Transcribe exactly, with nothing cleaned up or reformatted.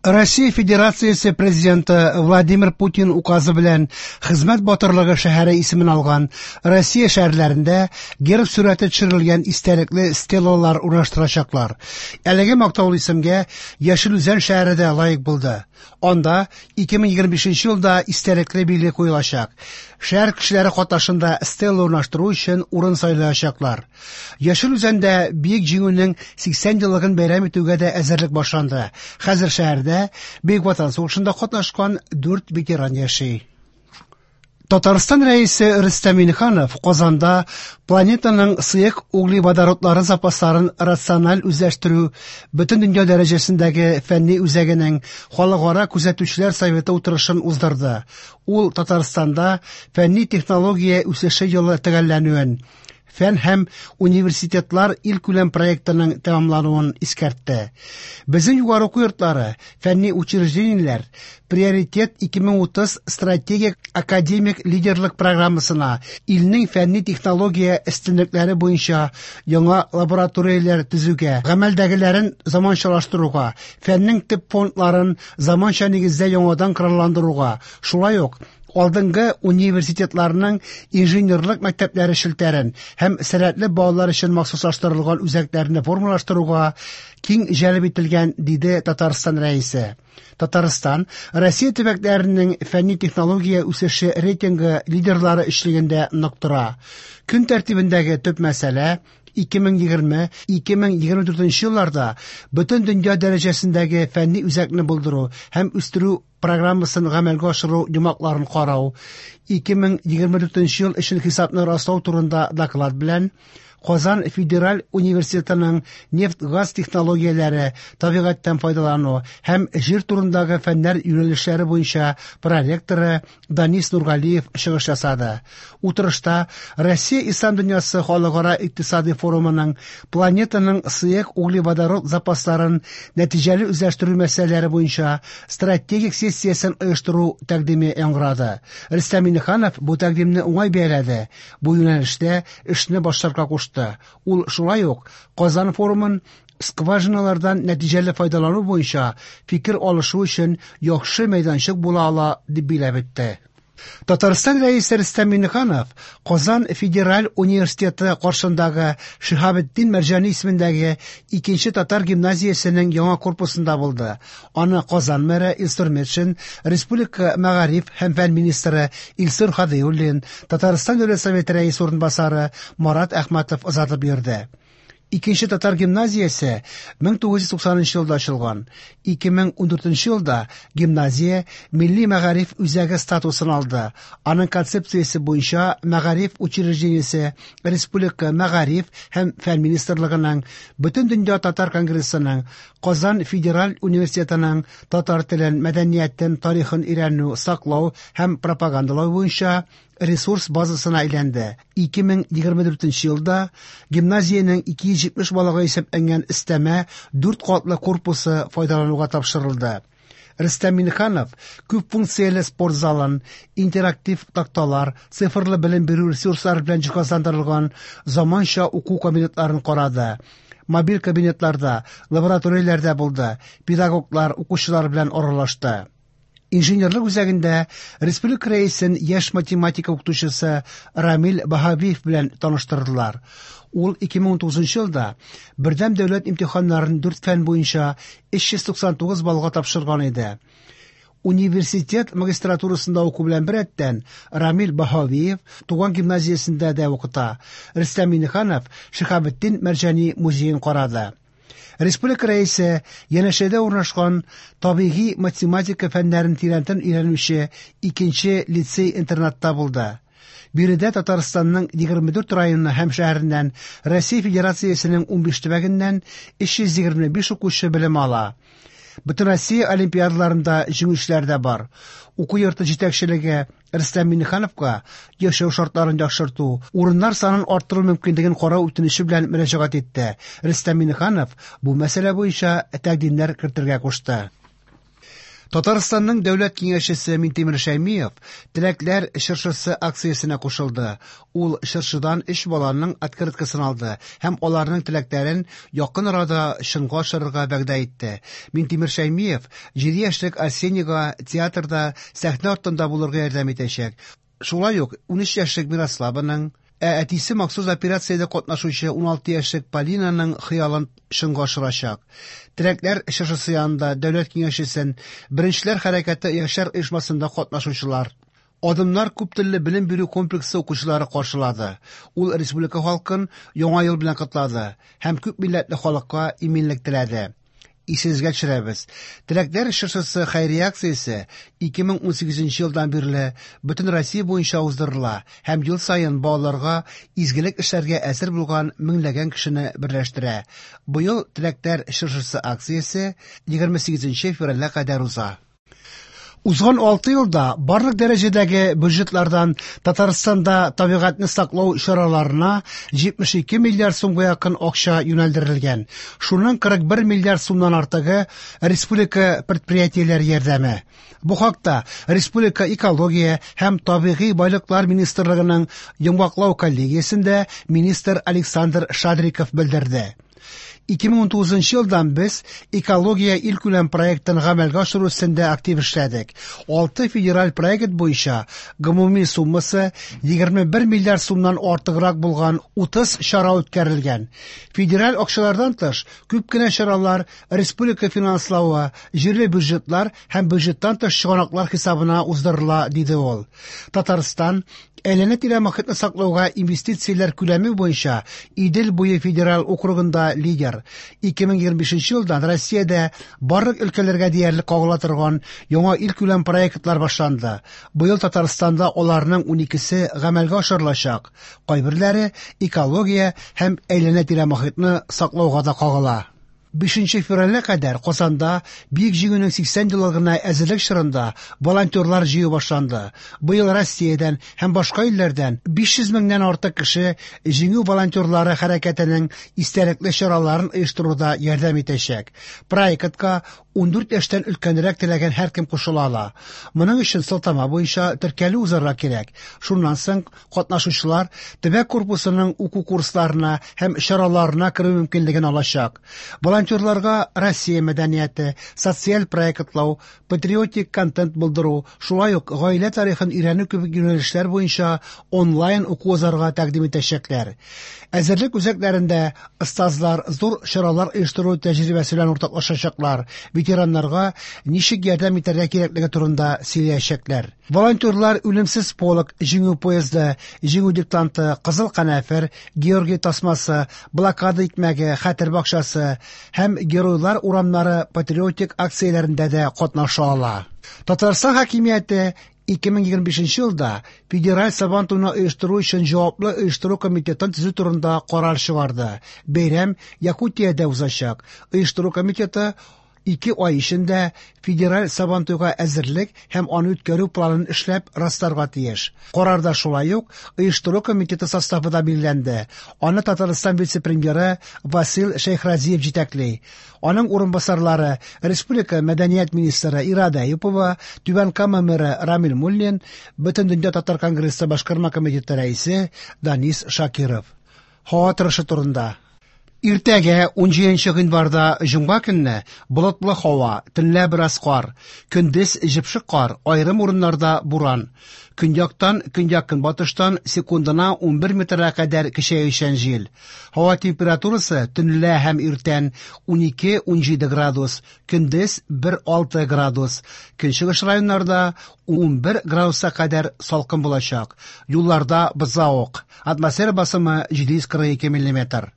Россия Федерациясе президенты Владимир Путин указы белән Хезмәт батырлыгы шәһәре исемен алган Россия шәһәрләрендә герб сурәте төшерелгән истәлекле стелалар урнаштырачаклар. Әлеге мактаулы исемгә Яшел Үзән шәһәре дә лаек булды. Анда ике мең егерме бишенче елда истәлекле билге куелачак. Шәһәр кешеләре катнашында стела урнаштыру өчен урын сайлаячаклар. Яшел Үзәндә Бөек Җиңүнең сиксән еллыгын бәйрәм итүгә дә әзерлек башланды. Хәзер шәһәрдә Бөек Ватан сугышында катнашкан дүрт ветеран яши. Татарстан рәисе Рөстәм Миңнеханов Казанда планетаның сыек углеводородлары запасларын рациональ үзләштерү бөтен дөнья дәрәҗәсендәге фәнни үзәгенең халыкара күзәтүчеләр советы утырышын уздырды. Ул Татарстанда фәнни технология үсеше елы төгәлләнүен, фән һәм университетлар илкүләм проектының тәмамлануын искәртте. Безнең югары уку йортлары, фәнни учреждениеләр Приоритет ике мең утыз стратегик академик лидерлык программасына илнең фәнни технология өстенлекләре буенча яңа лабораторияләр төзүгә, гамәлдәгеләрен заманчалаштыруга, фәннең төп фондларын заманча нигездә яңадан коралландыруга, шулай ук алдынгы университетларның инженерлык мәктәпләре челтәрен һәм сәләтле балалар өчен махсуслаштырылган үзәкләрне формалаштыруга киң җәлеп ителгән, диде Татарстан рәисе. Татарстан Россия төбәкләренең фәнни технология үсеше рейтингы лидерлары өчлегендә нык тора. Көн тәртибендәге төп мәсьәлә ике мең егерме, ике мең егерме дүртенче елларда бөтен дөнья дәрәҗәсендәге фәнни үзәкне булдыру һәм үстерү программасын гамәлгә ашыру йомгакларын карау, ике мең егерме дүртенче ел өчен хисапны раслау турында доклад белән Казан Федераль университетының нефть-газ технологияләре, табигатьтән файдалану һәм җир турындагы фәннәр юнәлешләре буенча проректоры Данис Нургалиев чыгыш ясады. Утырышта Россия Ислам дөньясы халыкара икътисади форумының планетаның сыек углеводород запасларын нәтиҗәле үзләштерү мәсьәләләре буенча стратегик сессиясен оештыру тәкъдиме яңгырады. Рөстәм Миңнеханов бу тәкъдимне уңай бәяләде. Бу юнәлештә эшне башларга кушты. Ул шулай ук Казан форумын скважиналардан нәтиҗәле файдалану буенча фикер алышу өчен яхшы мәйданчык була ала дип билгеләп үтте. Татарстан рәисе Рөстәм Миңнеханов Казан Федераль университеты каршындагы Шиһабетдин Мәрҗани исемендәге икенче татар гимназиясенең яңа корпусында булды. Аны Казан мэры Илсур Метшин, Республика мәгариф һәм фән министры Илсур Һадиуллин, Татарстан Дәүләт Советы рәисе урынбасары Марат Әхмәтов озатып йөрде. Икенче татар гимназиясе мең тугыз йөз туксанынчы елда ачылган. Ике мең ундүртенче елда гимназия милли мәгариф үзәге статусын алды. Аның концепциясе буенча мәгариф учреждениесе Республика мәгариф һәм фән министрлыгының, Бөтен дөнья татар конгрессының, Казан Федераль университетының татар телен, мәдәниятен, тарихын өйрәнү, саклау һәм пропагандалау буенча ресурс базасына әйләнде. Ике мең егерме дүртенче елда гимназиянең ике йөз җитмеш балага исәпләнгән өстәмә дүрт катлы корпусы файдалануга тапшырылды. Рөстәм Миңнеханов күп функцияле спорт залын, интерактив такталар, цифрлы белем бирү ресурслары белән җиһазландырылган заманча уку кабинетларын карады. Мобиль кабинетларда, лабораторияләрдә булды, педагоглар, укучылар белән аралашты. Инженерлык үзәгендә республика рәисен яшь математика укытучысы Рамил Баһавиев белән таныштырдылар. Ул ике мең унтугызынчы елда бердәм дәүләт имтиханнарын дүрт фән буенча өч йөз туксан тугыз баллга тапшырган иде. Университет магистратурасында уку белән беррәттән Рамил Баһавиев туган гимназиясендә дә укыта. Рөстәм Миңнеханов Шиһабетдин Мәрҗани музеен карады. Республика рәисе янәшәдә урнашкан табигый математика фәннәрен тирәнтен өйрәнүче икенче лицей-интернатта булды. Биредә Татарстанның егерме дүрт районы һәм шәһәреннән, Россия Федерациясенең унбиш төбәгеннән өч йөз егерме биш укучы белем ала. Бөтен Россия олимпиадаларында җиңүчеләр дә бар. Уку йорты җитәкчелеге Рөстәм Миңнехановка яшәү шартларын яхшырту, урыннар санын арттыру мөмкинлеген карау үтенече белән мөрәҗәгать итте. Рөстәм Миңнеханов бу мәсьәлә буенча тәкъдимнәр кертергә кушты. Татарстанның дәүләт киңәшчесе Минтимер Шәймиев «Теләкләр чыршысы» акциясенә кушылды. Ул чыршыдан өч баланың открыткасын алды һәм аларның теләкләрен якын арада чынга ашырырга вәгъдә итте. Минтимер Шәймиев җиде яшьлек Арсенийга театрда сәхнә артында булырга ярдәм итәчәк. Шулай ук унөч яшьлек Мирославаның, ә әтисе махсус операциядә катнашучы уналты яшьлек Полинаның хыялын чынга ашырачак. Теләкләр чыршысы янында дәүләт киңәшчесен Беренчеләр хәрәкәте яшьләр оешмасында катнашучылар, Адымнар күптелле белем бирү комплексы укучылары каршылады. Ул республика халкын Яңа ел белән котлады һәм күп милләтле халыкка иминлек теләде. Исегезгә төшерәбез. Теләкләр чыршысы хәйрия акциясе ике мең унсигезенче елдан бирле бөтен Россия буенча уздырыла һәм ел саен балаларга изгелек эшләргә әзер булган меңләгән кешене берләштерә. Быел Теләкләр чыршысы акциясе егерме сигезенче февральгә кадәр уза. Узган алты елда барлык дәрәҗәдәге бюджетлардан Татарстанда табигатьне саклау чараларына җитмеш ике миллиард сумга якын акча юнәлдерелгән. Шуның кырык бер миллиард сумнан артыгы республика предприятиеләре ярдәме. Бу хакта Республика экология һәм табигый байлыклар министрлыгының йомгаклау коллегиясендә министр Александр Шадриков белдерде. Ике мең унтугызынчы елдан без экология илкүләм проектын гамәлгә ашыру өстендә актив эшләдек. Алты федераль проект буенча гомуми суммасы егерме бер миллиард сумнан артыграк булган утыз чара үткәрелгән. Федераль акчалардан тыш күп кенә чаралар республика финанславы, җирле бюджетлар һәм бюджеттан тыш чыганаклар хисабына уздырыла, диде ул. Татарстан әйләнә-тирә мохитне саклауга инвестицияләр күләме буенча Идел буе федераль округында лидер. Ике мең егерме бишенче елдан Россиядә барлык өлкәләргә диярлек кагыла торган яңа илкүләм проектлар башланды. Быел Татарстанда аларның уникесе гамәлгә ашырылачак. Кайберләре экология һәм әйләнә-тирә мохитне саклауга да кагыла. Бишенче февральгә кадәр Казанда Бөек Җиңүнең сиксән еллыгына әзерлек чорында волонтерлар җыю башланды. Быел Россиядән һәм башка илләрдән биш йөз меңнән артык кеше Җиңү волонтерлары хәрәкәтенең истәлекле чараларын оештыруда ярдәм итәчәк. Проектка ундүрт яшьтән өлкәнрәк теләгән һәркем кушыла ала. Моның өчен сылтама буенча теркәлү узарга кирәк. Шуннан соң катнашучылар төбәк корпусының уку курсларына һәм чараларына керү мөмкинлеген алачак. Волонтерларга Россия мәдәнияте, социаль проектлау, патриотик контент булдыру, шулай ук гаилә тарихын өйрәнү кебек юнәлешләр буенча онлайн уку узарга тәкъдим итәчәкләр. Әзерлек үзәкләрендә остазлар зур чаралар оештыру тәҗрибәсе белән уртаклашачаклар, ветераннарга ничек ярдәм итәргә кирәклеге турында сөйләячәкләр. Волонтерлар Үлемсез полк, Җиңү поезды, Җиңү диктанты, Кызыл канәфер, Георгий тасмасы, Блокада икмәге, Хәтер бакчасы һәм Геройлар урамнары патриотик акцияләрендә дә катнаша ала. Татарстан хакимияте ике мең егерме бишенче елда Федераль Сабантуйны оештыру өчен җаваплы оештыру комитетын төзү турында карар чыгарды. Бәйрәм Якутиядә узачак. Оештыру комитеты ике ай эчендә Федераль Сабантуйга әзерлек һәм аны үткәрү планын эшләп расларга тиеш. Карарда шулай ук оештыру комитеты составы да билгеләнде. Аны Татарстан вице-премьеры Васил Шәйхразиев җитәкли. Аның урынбасарлары Республика мәдәният министры Ирада Әюпова, Түбән Кама мэры Рамил Муллин, Бөтендөнья татар конгрессы башкарма комитеты рәисе Данис Шакиров. Һава торышы турында. Иртәгә унҗиденче гыйнварда җомга көнне болытлы һава, төнлә бераз кар, көндез җепшек кар, аерым урыннарда буран. Көньяктан, көньяк-көнбатыштан секундына унбер метрга кадәр көчәючән җил. Һава температурасы төнлә һәм иртән унике-унҗиде градус, көндез бер алты градус. Көнчыгыш районнарда унбер градуска кадәр салкын булачак. Юлларда бозлавык. Атмосфера басымы җиде йөз кырык ике миллиметр.